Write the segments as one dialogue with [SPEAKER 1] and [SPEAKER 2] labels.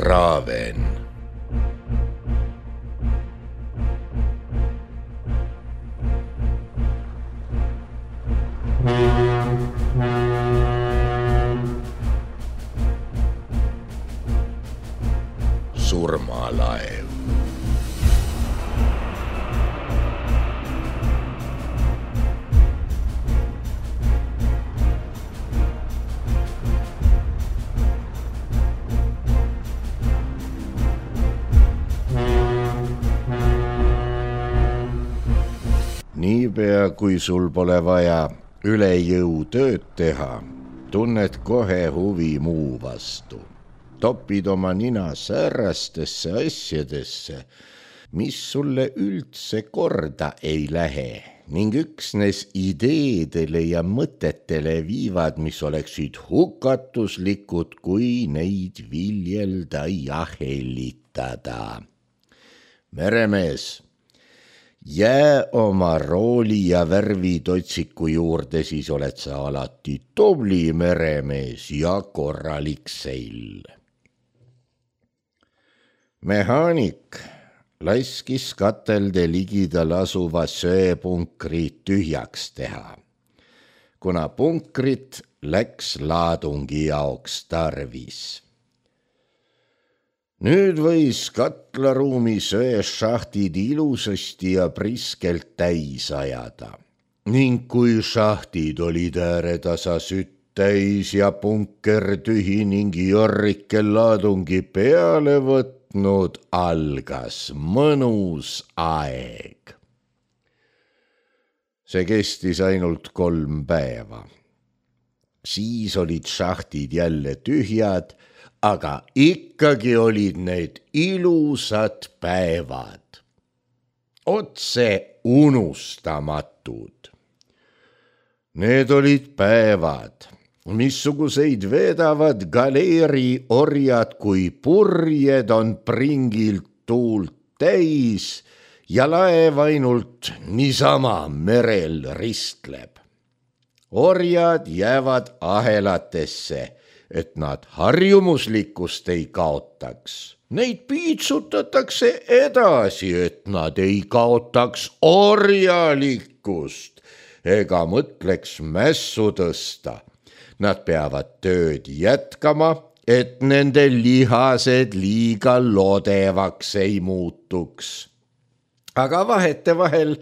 [SPEAKER 1] Raven. Surmalaev. Niipea, kui sul pole vaja üle jõu tööd teha, tunned kohe huvi muu vastu. Topid oma nina säärastesse asjadesse, mis sulle üldse korda ei lähe ning üksnes ideedele ja mõtetele viivad, mis oleksid hukatuslikud, kui neid viljelda ja hellitada. Meremees, jää oma rooli ja värvitotsiku juurde, siis oled sa alati tubli meremees ja korralik seil. Mehaanik laskis katelde ligidal asuva söepunkri tühjaks teha, kuna punkrit läks laadungi jaoks tarvis. Nüüd võis katlaruumi söešahtid ilusasti ja priskelt täis ajada ning kui šahtid olid ääretasa sütt täis ja punker tühi ning Jorrike laadungi peale võtnud, algas mõnus aeg. See kestis ainult 3 päeva. Siis olid šahtid jälle tühjad, aga ikkagi olid need ilusad päevad, otse unustamatud. Need olid päevad, missuguseid vedavad galeeri orjad, kui purjed on pringilt tuult täis ja laev ainult niisama merel ristleb. Orjad jäävad ahelatesse, et nad harjumuslikkust ei kaotaks. Neid piitsutatakse edasi, et nad ei kaotaks orjalikkust ega mõtleks mässu tõsta. Nad peavad tööd jätkama, et nende lihased liiga lodevaks ei muutuks. Aga vahetevahel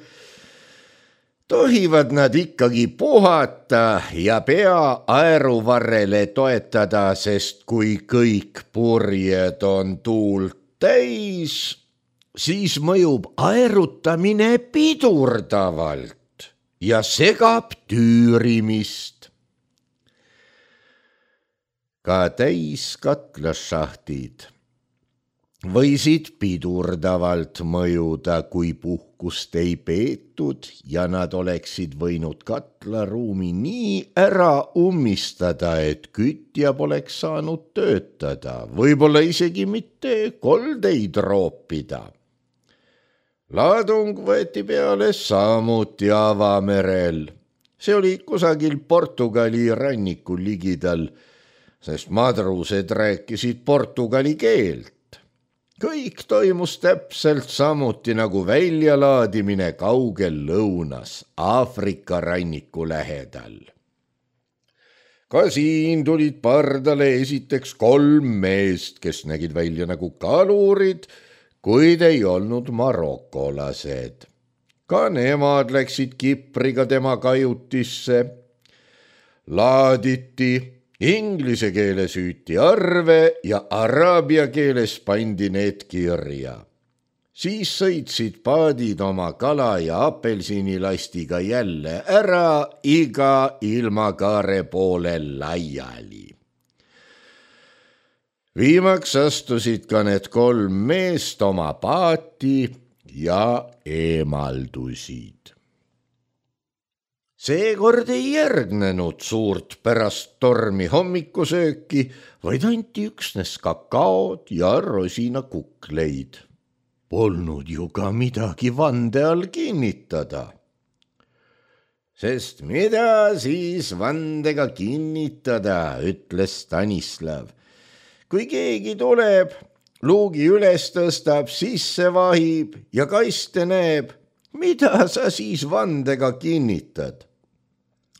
[SPEAKER 1] tohivad nad ikkagi puhata ja pea aeruvarrele toetada, sest kui kõik purjed on tuult täis, siis mõjub aerutamine pidurdavalt ja segab tüürimist. Ka täiskatlasšahtid võisid pidurdavalt mõjuda, kui puhkust ei peetud ja nad oleksid võinud katlaruumi nii ära ummistada, et kütja poleks saanud töötada, võib-olla isegi mitte koldeid roopida. Laadung võeti peale samuti avamerel. See oli kusagil Portugali rannikul ligidal, sest madrused rääkisid portugali keelt. Kõik toimus täpselt samuti nagu väljalaadimine kaugel lõunas Aafrika ranniku lähedal. Ka siin tulid pardale esiteks 3 meest, kes nägid välja nagu kalurid, kuid ei olnud marokolased. Ka nemad läksid kipriga tema kajutisse. Laaditi inglise keeles hüüti arve ja araabia keeles pandi need kirja. Siis sõitsid paadid oma kala ja apelsinilastiga jälle ära iga ilmakaare poole laiali. Viimaks astusid ka need 3 meest oma paati ja eemaldusid. Seekord ei järgnenud suurt pärast tormi hommikusööki, vaid anti üksnes kakaod ja rosinakukleid. Polnud ju ka midagi vande all kinnitada. Sest mida siis vandega kinnitada, ütles Stanislav. Kui keegi tuleb luugi üles tõstab, sisse vahib ja kaste näeb, mida sa siis vandega kinnitad.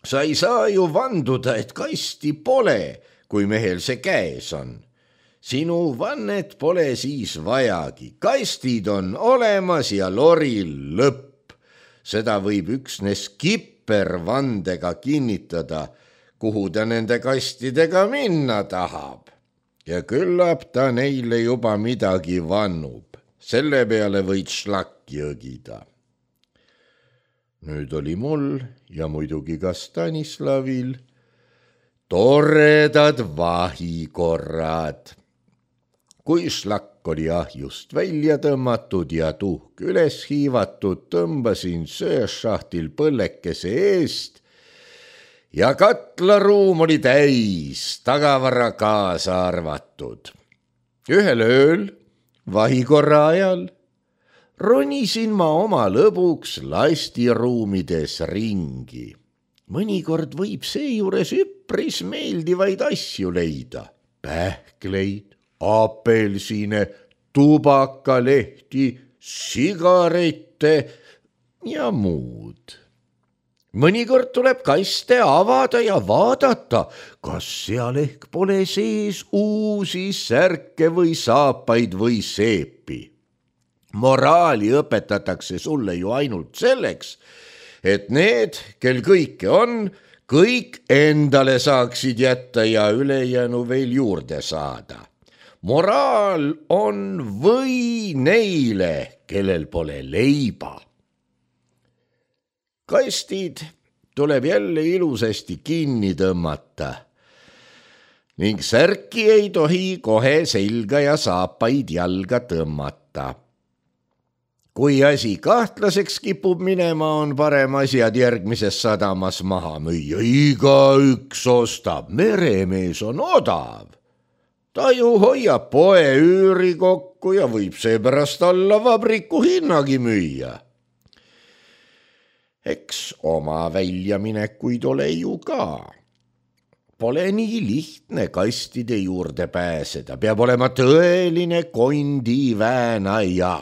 [SPEAKER 1] Sa ei saa ju vanduda, et kasti pole, kui mehel see käes on. Sinu vannet pole siis vajagi, kastid on olemas ja loril lõpp. Seda võib üksnes kipper vandega kinnitada, kuhu ta nende kastidega minna tahab. Ja küllap ta neile juba midagi vannub, selle peale võid šlakki õgida. Nüüd oli mul ja muidugi ka Stanislavil toredad vahikorrad. Kui šlakk oli ahjust välja tõmmatud ja tuhk üles hiivatud, tõmbasin sööšahtil põllekese eest ja katlaruum oli täis, tagavara kaasa arvatud. Ühel ööl, vahikorra ajal, ronisin ma oma lõbuks lastiruumides ringi. Mõnikord võib seejuures üpris meeldivaid asju leida. Pähkleid, apelsine, tubakalehti, sigarette ja muud. Mõnikord tuleb kaste avada ja vaadata, kas seal ehk pole sees uusi särke või saapaid või seepi. Moraali õpetatakse sulle ju ainult selleks, et need, kel kõike on, kõik endale saaksid jätta ja ülejäänu veel juurde saada. Moraal on või neile, kellel pole leiba. Kastid tuleb jälle ilusasti kinni tõmmata ning särki ei tohi kohe selga ja saapaid jalga tõmmata. Kui asi kahtlaseks kipub minema, on parem asjad järgmises sadamas maha müüa. Igaüks ostab, meremees on odav. Ta ju hoiab poe üüri kokku ja võib seepärast alla vabriku hinnagi müüa. Eks oma väljaminekuid ole ju ka. Pole nii lihtne kastide juurde pääseda, peab olema tõeline kondiväänaja.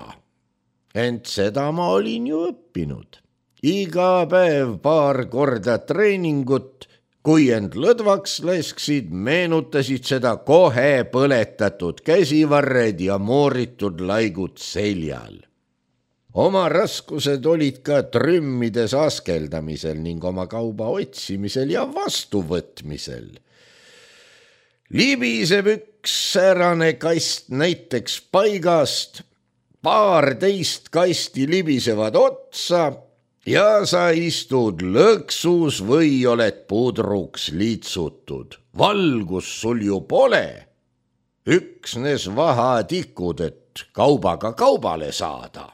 [SPEAKER 1] Ent seda ma olin ju õppinud. Iga päev paar korda treeningut, kui end lõdvaks lasksid, meenutasid seda kohe põletatud käsivarred ja mooritud laigud seljal. Oma raskused olid ka trümmides askeldamisel ning oma kauba otsimisel ja vastuvõtmisel. Libiseb üks säärane kast näiteks paigast, 12 kasti libisevad otsa ja sa istud lõksus või oled pudruks liitsutud. Valgus sul ju pole, üksnes vahatikud, et kaubaga kaubale saada.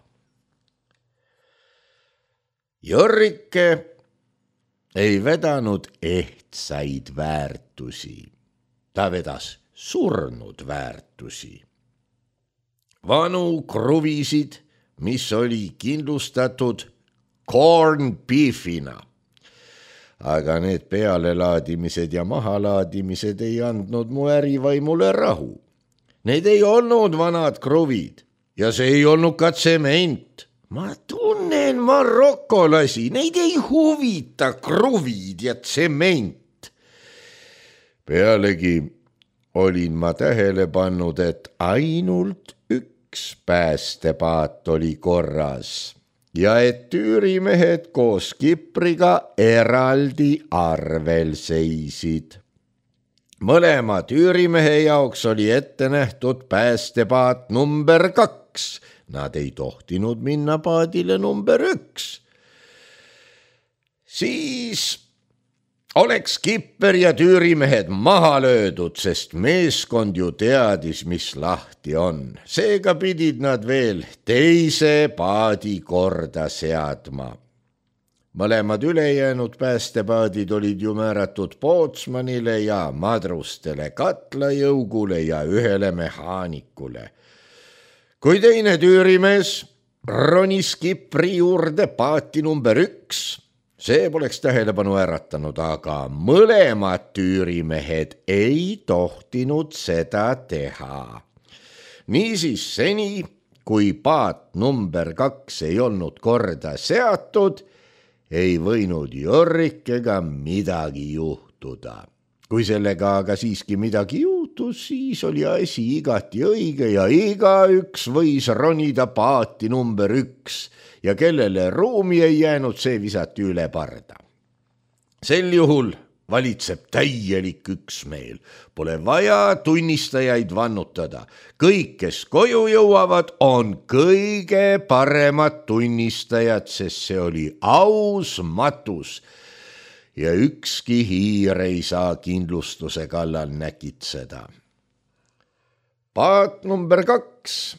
[SPEAKER 1] Jörrike ei vedanud ehtsaid väärtusi, ta vedas surnud väärtusi. Vanu kruvisid, mis oli kindlustatud corn beefina. Aga need pealelaadimised ja mahalaadimised ei andnud mu ärivaimule rahu. Need ei olnud vanad kruvid ja see ei olnud ka tsement. Ma tunnen marokolasi, neid ei huvita kruvid ja tsement. Pealegi olin ma tähele pannud, et ainult päästepaat oli korras ja et tüürimehed koos kipriga eraldi arvel seisid. Mõlema tüürimehe jaoks oli ette nähtud päästepaat number 2. Nad ei tohtinud minna paadile number 1. Siis oleks kipper ja tüürimehed maha löödud, sest meeskond ju teadis, mis lahti on. Seega pidid nad veel teise paadi korda seadma. Mõlemad ülejäänud päästepaadid olid ju määratud pootsmanile ja madrustele, katlajõugule ja ühele mehaanikule. Kui teine tüürimees ronis kipri juurde paati number 1, see poleks tähelepanu äratanud, aga mõlemad tüürimehed ei tohtinud seda teha. Niisiis seni, kui paat number 2 ei olnud korda seatud, ei võinud Jorrikega midagi juhtuda. Kui sellega aga siiski midagi juhtus, siis oli asi igati õige ja igaüks võis ronida paati number 1 ja kellele ruumi ei jäänud, see visati üle parda. Sel juhul valitseb täielik üksmeel. Pole vaja tunnistajaid vannutada. Kõik, kes koju jõuavad, on kõige paremad tunnistajad, sest see oli aus matus. Ja ükski hiir ei saa kindlustuse kallal näkitseda. Paat number 2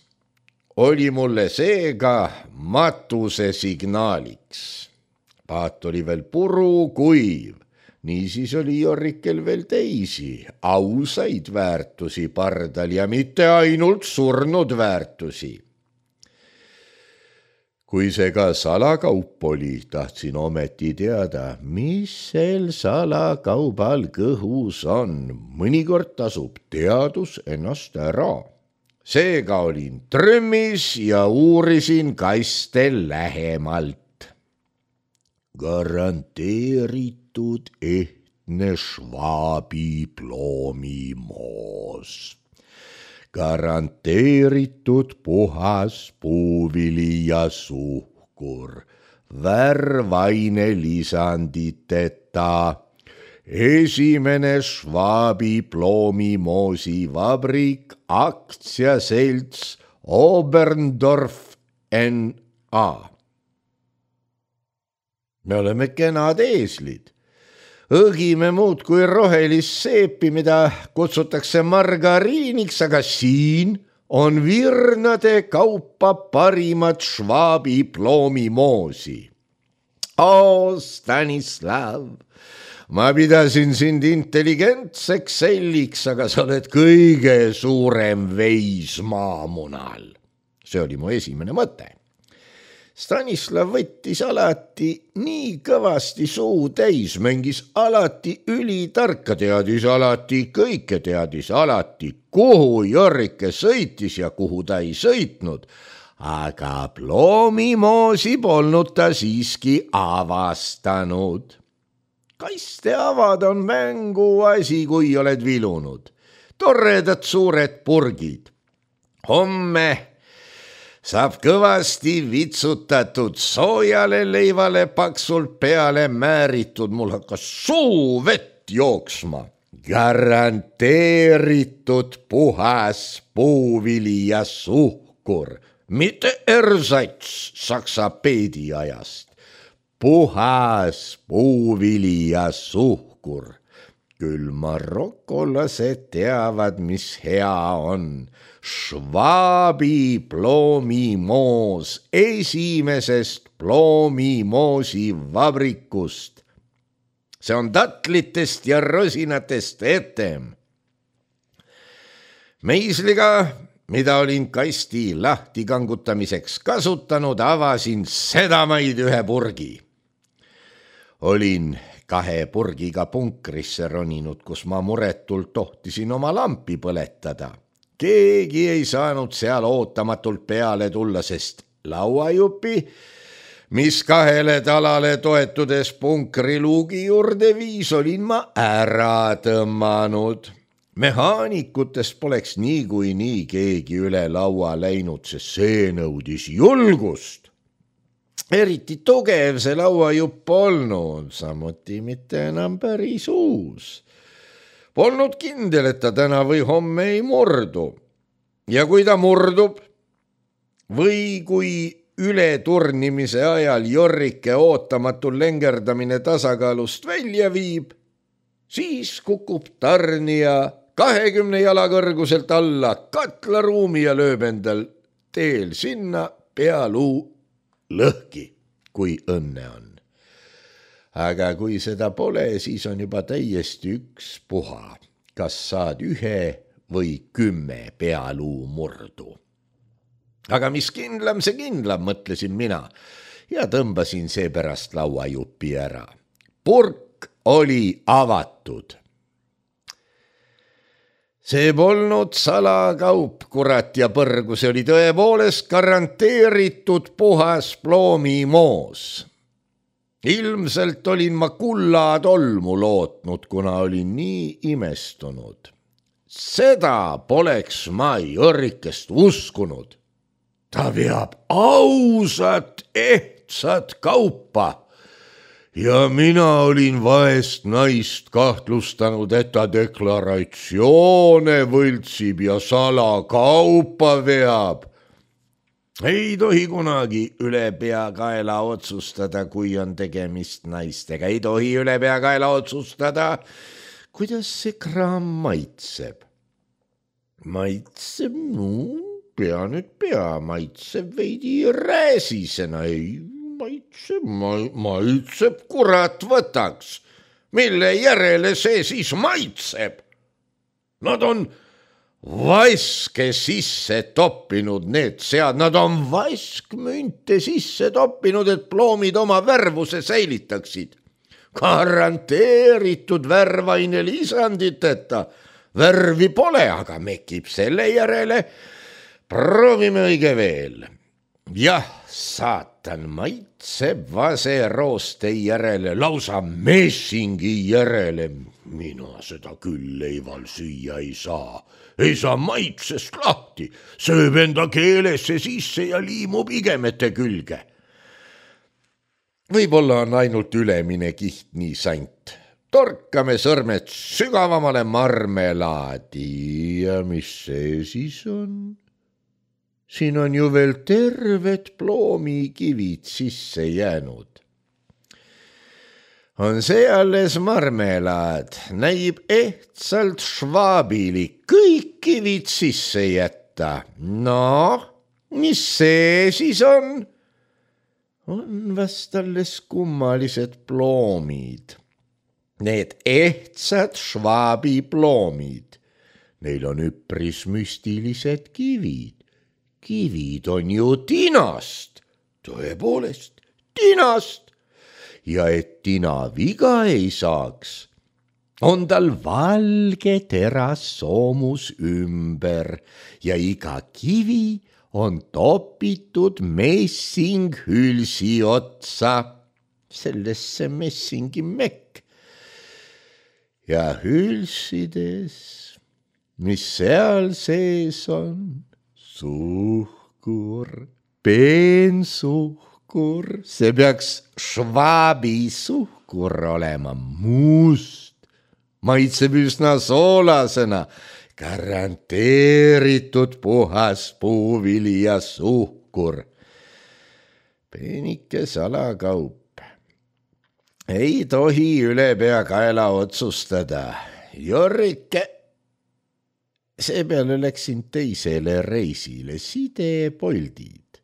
[SPEAKER 1] oli mulle seega matuse signaaliks. Paat oli veel puru kuiv, niisiis oli Jorrikel veel teisi ausaid väärtusi pardal ja mitte ainult surnud väärtusi. Kui see ka salakaup oli, tahtsin ometi teada, mis sel salakaubal kõhus on. Mõnikord tasub teadus ennast ära. Seega olin trümmis ja uurisin kaste lähemalt. Garanteeritud ehtne Schwabi ploomimoos. Garanteeritud puhas puuvili ja suhkur, värvaine lisanditeta, esimene Schwabi ploomimoosi vabrik, aktsiaselts Oberndorf N.A. Me oleme kenad eeslid. Õgime muud kui rohelist seepi, mida kutsutakse margariiniks, aga siin on virnade kaupa parimat Schwabi ploomimoosi. Stanislav, ma pidasin sind intelligentseks selliks, aga sa oled kõige suurem veis maamunal. See oli mu esimene mõte. Stanislav võttis alati nii kõvasti suu täis, mängis alati ülitarka, teadis alati kõike, teadis alati, kuhu Jorrike sõitis ja kuhu ta ei sõitnud, aga ploomimoosi polnud ta siiski avastanud. Kaste avada on mänguasi, kui oled vilunud. Torredad suured purgid. Homme saab kõvasti vitsutatud soojale leivale paksult peale määritud, mul hakkas suu vett jooksma. Garanteeritud puhas puuvili ja suhkur, mitte ersats saksa peediajast. Puhas puuvili ja suhkur. Küll marokolased teavad, mis hea on. Schwabi ploomimoos esimesest ploomimoosi vabrikust. See on tatlitest ja rosinatest etem. Meisliga, mida olin kasti lahti kangutamiseks kasutanud, avasin sedamaid ühe purgi. Olin 2 purgiga punkrisse roninud, kus ma muretult tohtisin oma lampi põletada. Keegi ei saanud seal ootamatult peale tulla, sest lauajupi, mis 2 talale toetudes punkriluugi juurde viis, olin ma ära tõmmanud. Mehaanikutest poleks niikuinii keegi üle laua läinud, sest see nõudis julgust. Eriti tugev see lauajupp polnud, samuti mitte enam päris uus. Polnud kindel, et ta täna või homme ei murdu. Ja kui ta murdub või kui ületurnimise ajal Jorrike ootamatul lengerdamine tasakaalust välja viib, siis kukub tarnija 20 jala kõrguselt alla katlaruumi ja lööb endal teel sinna pealuu lõhki, kui õnne on. Aga kui seda pole, siis on juba täiesti ükspuha, kas saad 1 või 10 pealuu murdu. Aga mis kindlam, see kindlam, mõtlesin mina ja tõmbasin seepärast lauajupi ära. Purk oli avatud. See polnud salakaup, kurat ja põrgu, see oli tõepoolest garanteeritud puhas ploomimoos. Ilmselt olin ma kullatolmu lootnud, kuna olin nii imestunud. Seda poleks ma Jörrikest uskunud. Ta veab ausat, ehtsat kaupa. Ja mina olin vaest naist kahtlustanud, et ta deklaratsioone võltsib ja salakaupa veab. Ei tohi kunagi ülepeakaela otsustada, kui on tegemist naistega. Ei tohi ülepeakaela otsustada, kuidas see kraam maitseb. Maitseb, maitseb veidi rääsisena, ei maitseb, kurat võtaks. Mille järele see siis maitseb? Nad on vaske sisse toppinud need sead, nad on vaskmünte sisse toppinud, et ploomid oma värvuse säilitaksid. Garanteeritud värvaine lisanditeta. Värvi pole, aga mekib selle järele. Proovime õige veel. Jah, saatan, maitseb vaserooste järele, lausa messingi järele. Mina seda küll leival süüa ei saa. Ei saa maitsest lahti, sööb enda keelesse sisse ja liimub igemete külge. Võib-olla on ainult ülemine kiht nii sant. Torkame sõrmed sügavamale marmelaadi ja mis see siis on? Siin on ju veel terved ploomikivid sisse jäänud. On see alles marmelaad, näib ehtsalt švaabilik, kõik kivid sisse jätta. No, mis see siis on? On vast alles kummalised ploomid. Need ehtsad švaabi ploomid. Neil on üpris müstilised kivid. Kivid on ju tinast, tõepoolest tinast. Ja et tina viga ei saaks, on tal valge teras soomus ümber ja iga kivi on topitud messinghülsi otsa, sellesse messingi mekk. Ja hülsides, mis seal sees on, suhkur, peensuhkur, see peaks švaabi suhkur olema, must, maitseb üsna soolasena, garanteeritud puhas puuvili ja suhkur. Peenike salakaup. Ei tohi ülepeakaela otsustada. Jörrike. Seepeale läksin teisele reisile, sidepoldid.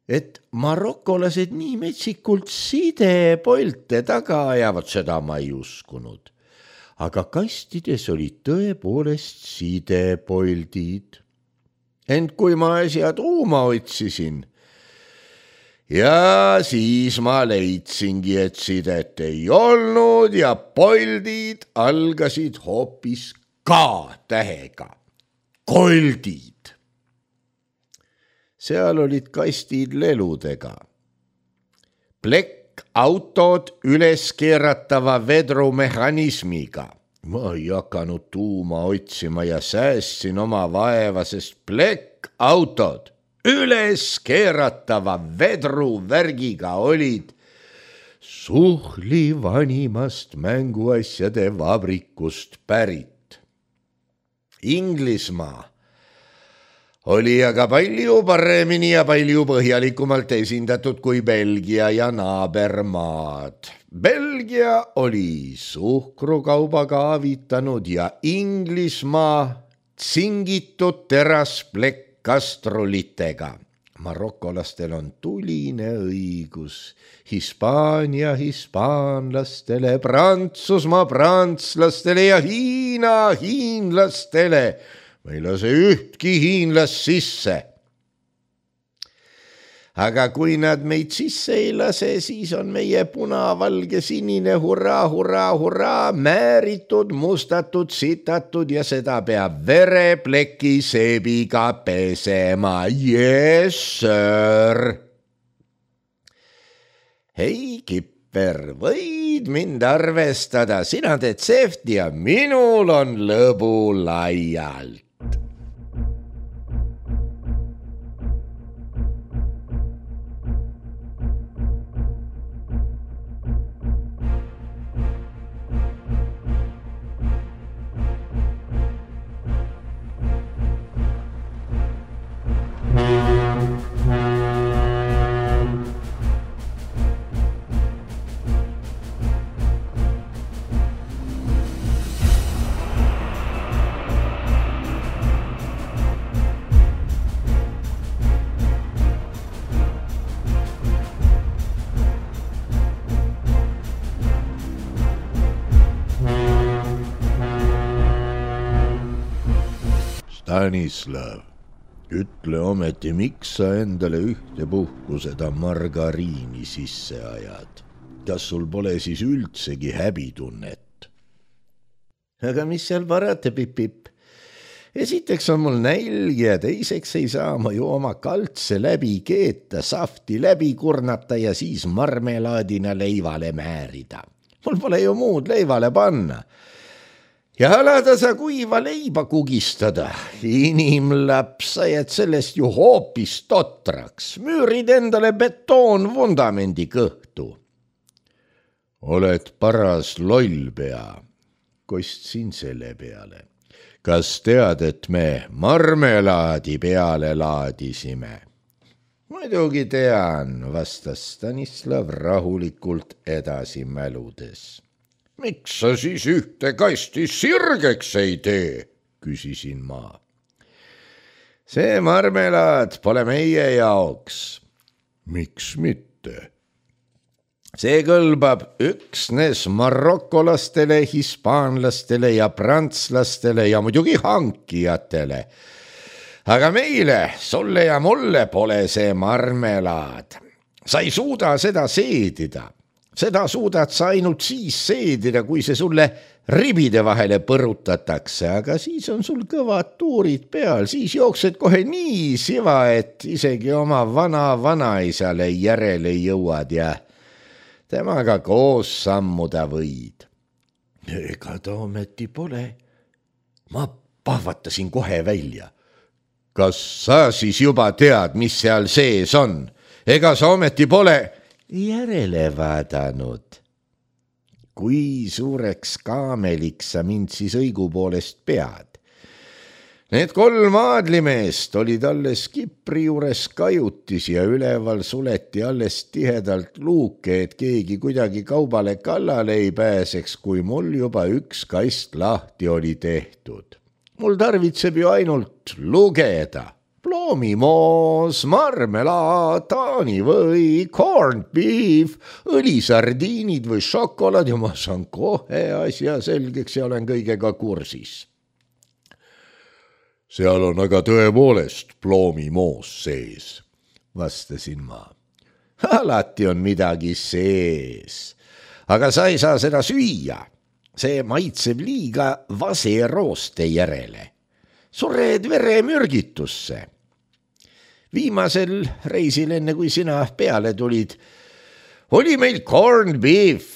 [SPEAKER 1] Et marokolased nii metsikult sidepolte taga ajavad, seda ma ei uskunud. Aga kastides olid tõepoolest sidepoldid. Ent kui ma äsja tuuma otsisin, ja siis ma leidsingi, et sidet ei olnud ja poldid algasid hoopis K-tähega. Koldid. Seal olid kastid leludega. Plekk-autod üles keeratava vedrumehhanismiga. Ma ei hakanud tuuma otsima ja säästsin oma vaeva, sest plekk-autod üles keeratava vedruvärgiga olid suhli vanimast mänguasjade vabrikust pärit. Inglismaa oli aga palju paremini ja palju põhjalikumalt esindatud kui Belgia ja naabermaad. Belgia oli suhkrukaubaga avitanud ja Inglismaa tsingitud terasplekkkastrulitega. Marokolastel on tuline õigus, Hispaania hispaanlastele, Prantsusmaa prantslastele ja Hiina hiinlastele. Ma ei lase ühtki hiinlast sisse. aga kui nad meid sisse ei lase, siis on meie punavalge sinine hurraa, hurraa, hurraa, määritud, mustatud, sitatud ja seda peab verepleki seebiga pesema. Yes, sir. Hei, Kipper, võid mind arvestada, sina teed sefti ja minul on lõbu laialt. Stanislav, ütle ometi, miks sa endale ühtepuhku seda margariini sisse ajad? Kas sul pole siis üldsegi häbitunnet? Aga mis seal parata, Pip-Pip? Esiteks on mul nälg ja teiseks ei saa ma ju oma kaltse läbi keeta, safti läbi kurnata ja siis marmelaadina leivale määrida. Mul pole ju muud leivale panna. Ja alada sa kuiva leiba kugistada. Inimlaps, sa jääd sellest ju hoopis totraks. Müürid endale betoonvundamendi kõhtu. Oled paras lollpea. Kostsin selle peale. Kas tead, et me marmelaadi peale laadisime? Muidugi tean, vastas Stanislav rahulikult edasi mäludes. Miks sa siis ühte kasti sirgeks ei tee, küsisin ma. See marmelaad pole meie jaoks. Miks mitte? See kõlbab üksnes marokolastele, hispaanlastele ja prantslastele ja muidugi hankijatele. Aga meile, sulle ja mulle pole see marmelaad. Sa ei suuda seda seedida. Seda suudad sa ainult siis seedida, kui see sulle ribide vahele põrutatakse, aga siis on sul kõvad tuurid peal, siis jooksed kohe nii siva, et isegi oma vanaisale järele jõuad ja temaga koos sammuda võid. Ega ta ometi pole. Ma pahvatasin kohe välja. Kas sa siis juba tead, mis seal sees on? Ega sa ometi pole järele vaadanud. Kui suureks kaameliks sa mind siis õigupoolest pead? Need 3 aadlimeest olid alles Kipri juures kajutis ja üleval suleti alles tihedalt luuke, et keegi kuidagi kaubale kallale ei pääseks, kui mul juba 1 kast lahti oli tehtud. Mul tarvitseb ju ainult lugeda. Ploomimoos, marmelaad, taanivõi, corned beef, õlisardiinid või šokolaad ja ma saan kohe asja selgeks ja olen kõigega kursis. Seal on aga tõepoolest ploomimoos sees, vastasin ma. Alati on midagi sees, aga sa ei saa seda süüa. See maitseb liiga vaserooste järele. Sured veremürgitusse. Viimasel reisil, enne kui sina peale tulid, oli meil corned beef.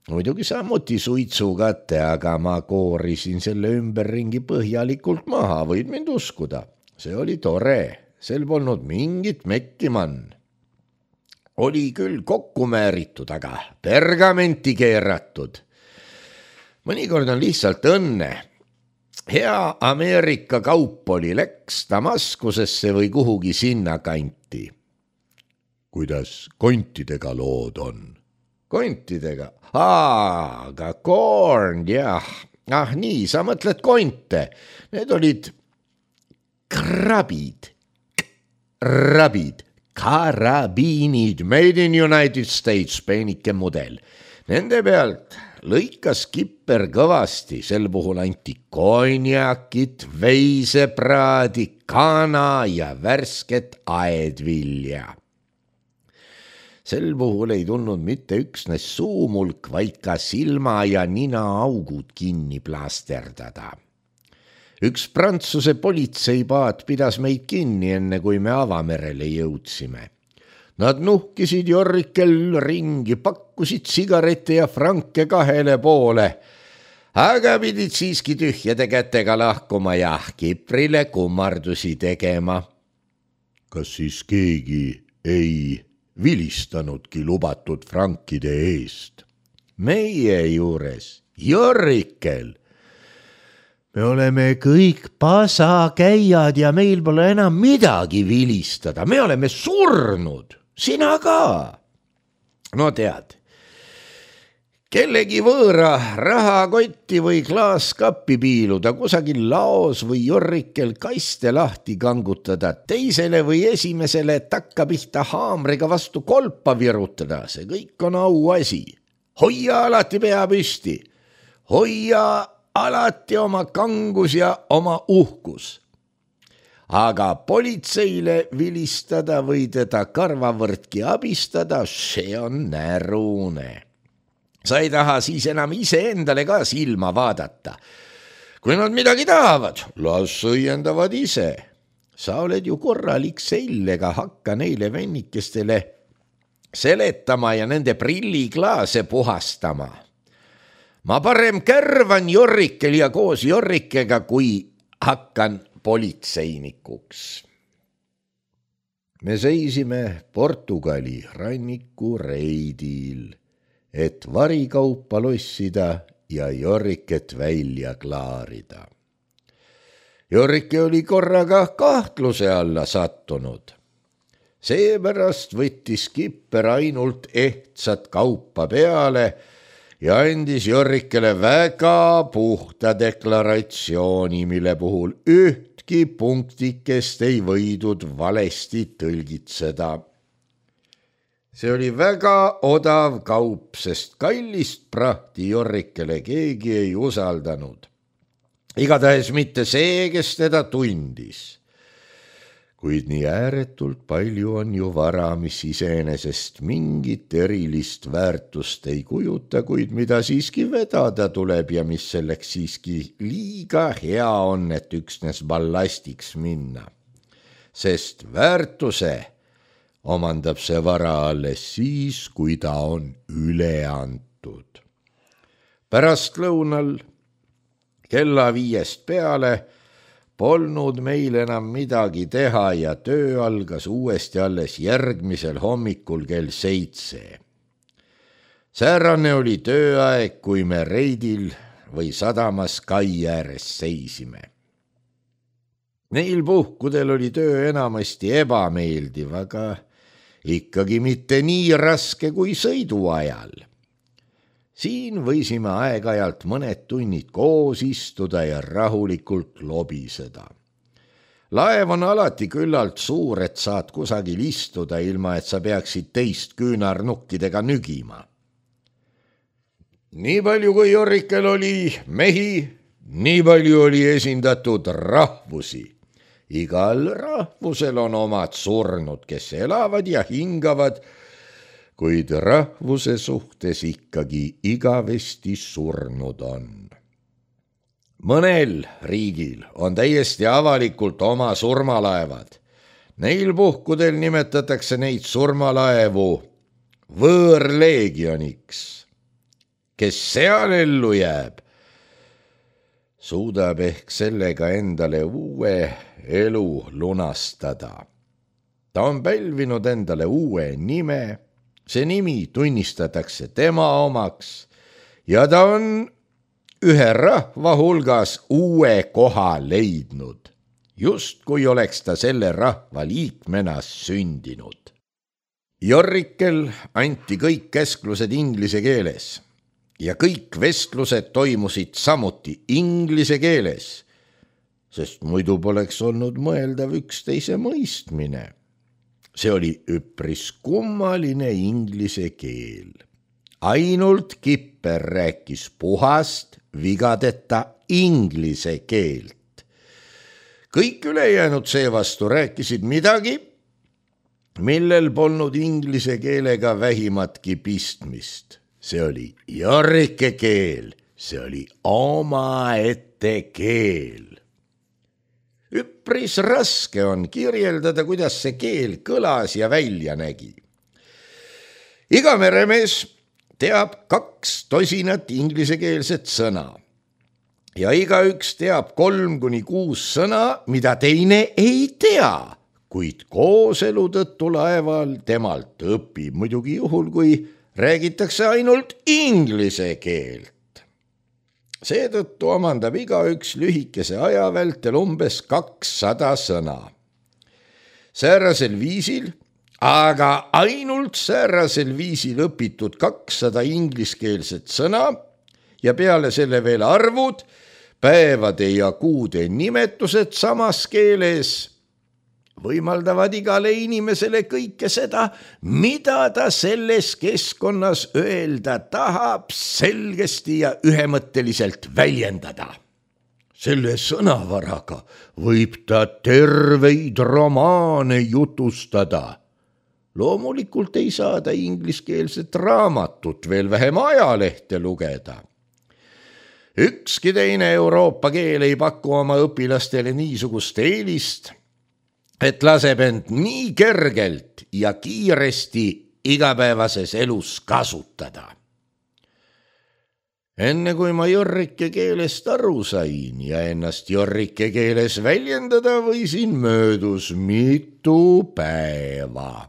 [SPEAKER 1] Muidugi samuti suitsukate, aga ma koorisin selle ümberringi põhjalikult maha, võid mind uskuda. See oli tore, sel polnud mingit mekkimann. Oli küll kokku määritud, aga pergamenti keeratud. Mõnikord on lihtsalt õnne. Hea Ameerika kaup oli, läks Damaskusesse või kuhugi sinna kanti. Kuidas kontidega lood on? Kontidega? Aga corn, jah. Nii, sa mõtled konte. Need olid krabid. Karabiinid, made in United States, peenike mudel. Nende pealt lõikas Kipper kõvasti, sel puhul anti konjakit, veisepraadi, kana ja värsket aedvilja. Sel puhul ei tulnud mitte üksnes suumulk, vaid ka silma- ja ninaaugud kinni plaasterdada. Üks Prantsuse politseipaat pidas meid kinni, enne kui me avamerele jõudsime. Nad nuhkisid Jorrikel ringi, pakkusid sigarette ja franke 2 poole, aga pidid siiski tühjade kätega lahkuma ja Kiprile kummardusi tegema. Kas siis keegi ei vilistanudki lubatud frankide eest? Meie juures, Jorrikel. Me oleme kõik pasakäijad ja meil pole enam midagi vilistada. Me oleme surnud, sina ka. No tead, kellegi võõra rahakotti või klaaskappi piiluda, kusagil laos või Jorrikel kaste lahti kangutada, teisele või esimesele takkapihta haamriga vastu kolpa virutada, see kõik on auasi. Hoia alati pea püsti, hoia alati oma kangus ja oma uhkus. Aga politseile vilistada või teda karvavõrdki abistada, see on närune. Sa ei taha siis enam iseendale ka silma vaadata. Kui nad midagi tahavad, las õiendavad ise. Sa oled ju korralik sellega, hakka neile vennikestele seletama ja nende prilliklaase puhastama. Ma parem kärvan Jorrikel ja koos Jorrikega, kui hakkan politseinikuks. Me seisime Portugali ranniku reidil, et varikaupa lossida ja Jorriket välja klaarida. Jorrike oli korraga kahtluse alla sattunud. Seepärast võttis Kipper ainult ehtsat kaupa peale ja andis Jorrikele väga puhta deklaratsiooni, mille puhul ühtki punktikest ei võidud valesti tõlgitseda. See oli väga odav kaup, sest kallist prahti Jorrikele keegi ei usaldanud. Igatahes mitte see, kes teda tundis. Kuid nii ääretult palju on ju vara, mis iseenesest mingit erilist väärtust ei kujuta, kuid mida siiski vedada tuleb ja mis selleks siiski liiga hea on, et üksnes ballastiks minna. Sest väärtuse omandab see vara alles siis, kui ta on üle antud. Pärastlõunal kella 5 peale polnud meil enam midagi teha ja töö algas uuesti alles järgmisel hommikul kell 7. Säärane oli tööaeg, kui me reidil või sadamas kai ääres seisime. Neil puhkudel oli töö enamasti ebameeldiv, aga ikkagi mitte nii raske kui sõiduajal. Siin võisime aeg-ajalt mõned tunnid koos istuda ja rahulikult lobiseda. Laev on alati küllalt suur, et saad kusagil istuda, ilma et sa peaksid teist küünarnukkidega nügima. Nii palju kui Jorrikel oli mehi, nii palju oli esindatud rahvusi. Igal rahvusel on omad surnud, kes elavad ja hingavad, kuid rahvuse suhtes ikkagi igavesti surnud on. Mõnel riigil on täiesti avalikult oma surmalaevad. Neil puhkudel nimetatakse neid surmalaevu võõrleegioniks. Kes seal ellu jääb, suudab ehk sellega endale uue elu lunastada. Ta on pälvinud endale uue nime, see nimi tunnistatakse tema omaks ja ta on ühe rahva hulgas uue koha leidnud, just kui oleks ta selle rahva liikmena sündinud. Jorrikel anti kõik käsklused inglise keeles ja kõik vestlused toimusid samuti inglise keeles, sest muidu poleks olnud mõeldav üksteise mõistmine. See oli üpris kummaline inglise keel. Ainult Kipper rääkis puhast, vigadeta inglise keelt. Kõik ülejäänud seevastu rääkisid midagi, millel polnud inglise keelega vähimatki pistmist. See oli Jorrike keel, see oli omaette keel. Üpris raske on kirjeldada, kuidas see keel kõlas ja välja nägi. Iga meremees teab 2 inglisekeelset sõna ja igaüks teab 3-6 sõna, mida teine ei tea, kuid kooselu tõttu laeval temalt õpib, muidugi juhul, kui räägitakse ainult inglise keelt. Seetõttu omandab igaüks lühikese aja vältel umbes 200 sõna. Säärasel viisil, aga ainult säärasel viisil õpitud 200 ingliskeelset sõna ja peale selle veel arvud, päevade ja kuude nimetused samas keeles võimaldavad igale inimesele kõike seda, mida ta selles keskkonnas öelda tahab, selgesti ja ühemõtteliselt väljendada. Selle sõnavaraga võib ta terveid romaane jutustada. Loomulikult ei saa ta ingliskeelset raamatut, veel vähem ajalehte lugeda. Ükski teine Euroopa keel ei paku oma õpilastele niisugust eelist, et laseb end nii kergelt ja kiiresti igapäevases elus kasutada. Enne kui ma Jorrike keelest aru sain ja ennast Jorrike keeles väljendada võisin, möödus mitu päeva.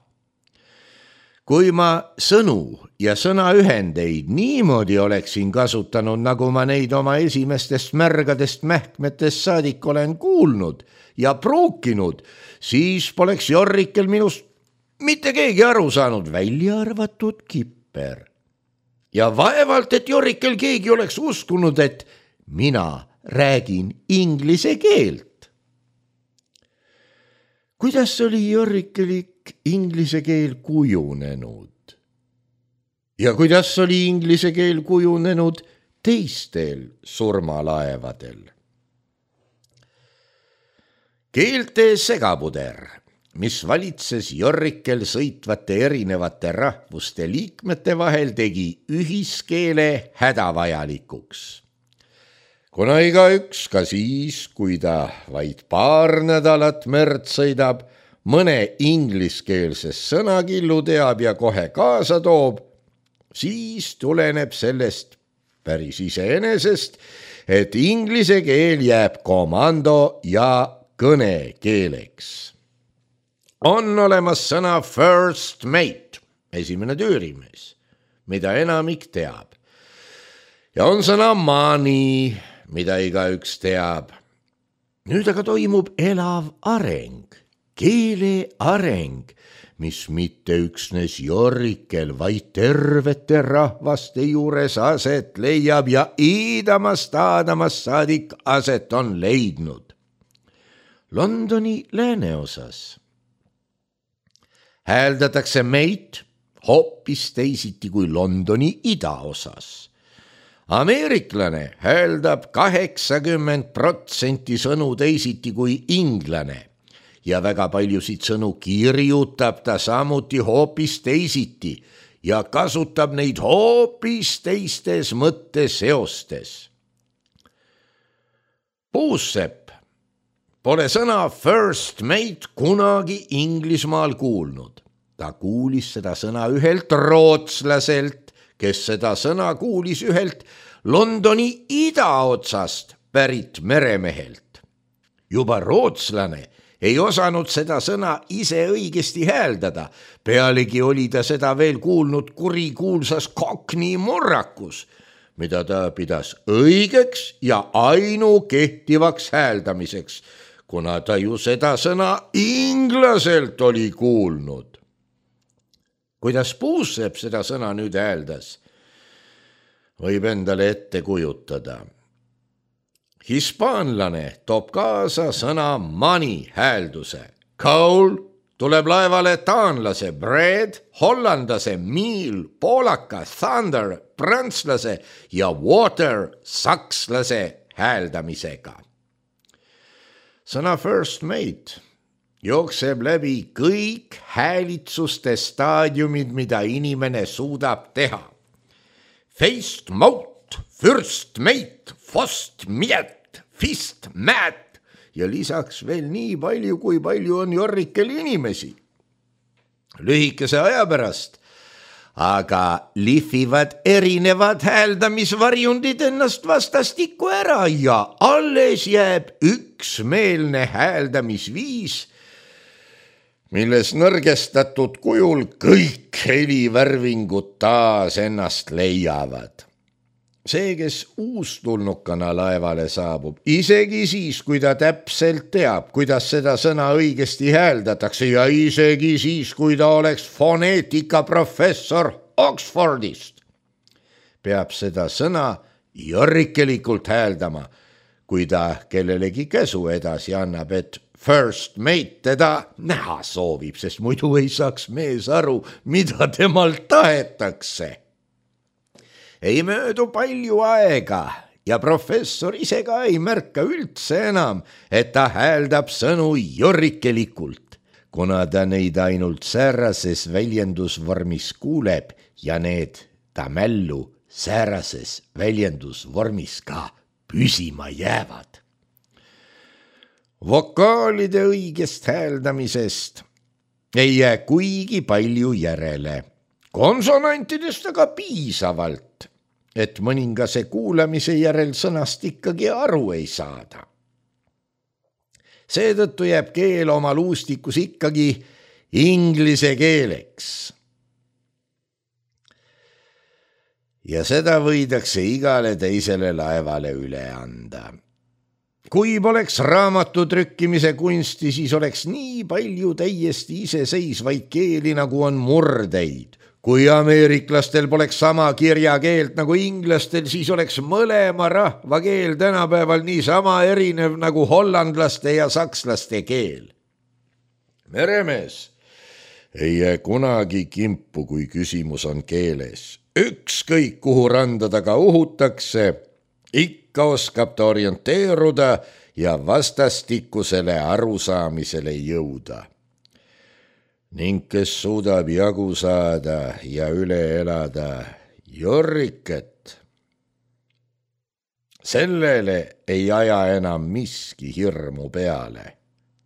[SPEAKER 1] Kui ma sõnu ja sõnaühendeid niimoodi oleksin kasutanud, nagu ma neid oma esimestest märgadest mähkmetest saadik olen kuulnud ja pruukinud, siis poleks Jorrikel minust mitte keegi aru saanud, välja arvatud Kipper. Ja vaevalt, et Jorrikel keegi oleks uskunud, et mina räägin inglise keelt. Kuidas oli Jorrikelik inglise keel kujunenud? Ja kuidas oli inglise keel kujunenud teistel surmalaevadel? Keelte segapuder, mis valitses Jorrikel sõitvate erinevate rahvuste liikmete vahel, tegi ühiskeele hädavajalikuks. Kuna igaüks ka siis, kui ta vaid paar nädalat merd sõidab, mõne ingliskeelses sõnakillu teab ja kohe kaasa toob, siis tuleneb sellest päris iseenesest, et inglise keel jääb komando ja kõnekeeleks. On olemas sõna first mate, esimene tüürimees, mida enamik teab. Ja on sõna money, mida igaüks teab. Nüüd aga toimub elav areng, keele areng, mis mitte üksnes Jorrikel, vaid tervete rahvaste juures aset leiab ja iidamast aadamast saadik aset on leidnud. Londoni lääneosas hääldatakse mate hoopis teisiti kui Londoni idaosas. Ameeriklane hääldab 80% sõnu teisiti kui inglane ja väga paljusid sõnu kirjutab ta samuti hoopis teisiti ja kasutab neid hoopis teistes mõtteseostes. Puussepp pole sõna first mate kunagi Inglismaal kuulnud. Ta kuulis seda sõna ühelt rootslaselt, kes seda sõna kuulis ühelt Londoni idaotsast pärit meremehelt. Juba rootslane ei osanud seda sõna ise õigesti hääldada, pealegi oli ta seda veel kuulnud kurikuulsas Cockney murrakus, mida ta pidas õigeks ja ainukehtivaks hääldamiseks, kuna ta ju seda sõna inglaselt oli kuulnud. Kuidas Puussepp seda sõna nüüd hääldas, võib endale ette kujutada. Hispaanlane toob kaasa sõna money häälduse. Coal tuleb laevale taanlase bread, hollandase meal, poolaka thunder, prantslase ja water sakslase hääldamisega. Sõna first mate jookseb läbi kõik häälitsuste staadiumid, mida inimene suudab teha. Feist, maut, fürst, meit, fost, miet, fist, mät ja lisaks veel nii palju, kui palju on Jorrikel inimesi. Lühikese aja pärast aga lihvivad erinevad hääldamisvarjundid ennast vastastikku ära ja alles jääb üksmeelne hääldamisviis, milles nõrgestatud kujul kõik helivärvingud taas ennast leiavad. See, kes uustulnukana laevale saabub, isegi siis, kui ta täpselt teab, kuidas seda sõna õigesti hääldatakse ja isegi siis, kui ta oleks foneetikaprofessor Oxfordist, peab seda sõna jorrikelikult hääldama, kui ta kellelegi käsu edasi annab, et first mate teda näha soovib, sest muidu ei saaks mees aru, mida temalt tahetakse. Ei möödu palju aega ja professor ise ka ei märka üldse enam, et ta hääldab sõnu jorrikelikult, kuna ta neid ainult säärases väljendusvormis kuuleb ja need ta mällu säärases väljendusvormis ka püsima jäävad. Vokaalide õigest hääldamisest ei jää kuigi palju järele, konsonantidest aga piisavalt, et mõningase kuulamise järel sõnast ikkagi aru ei saada. Seetõttu jääb keel oma luustikus ikkagi inglise keeleks. Ja seda võidakse igale teisele laevale üle anda. Kui poleks raamatu trükkimise kunsti, siis oleks nii palju täiesti iseseisvaid keeli, nagu on murdeid. Kui ameeriklastel poleks sama kirjakeelt nagu inglastel, siis oleks mõlema rahva keel tänapäeval nii sama erinev nagu hollandlaste ja sakslaste keel. Meremees ei jää kunagi kimpu, kui küsimus on keeles. Ükskõik kuhu randa taga uhutakse, ikka oskab ta orienteeruda ja vastastikusele arusaamisele jõuda. Ning kes suudab jagu saada ja üle elada jorriket, sellele ei aja enam miski hirmu peale.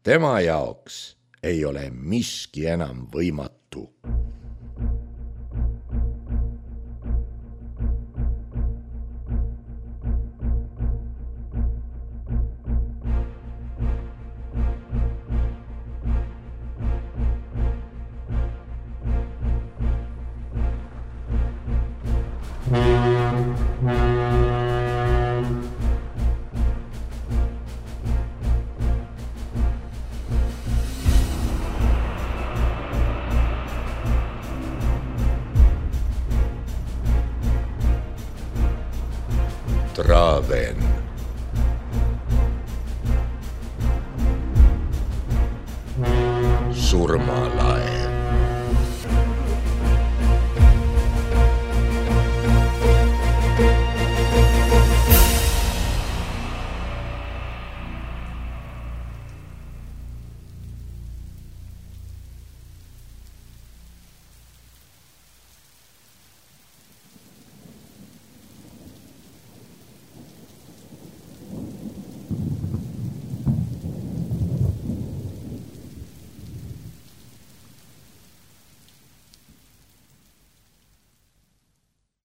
[SPEAKER 1] Tema jaoks ei ole miski enam võimatu. Traven. Surmalaev.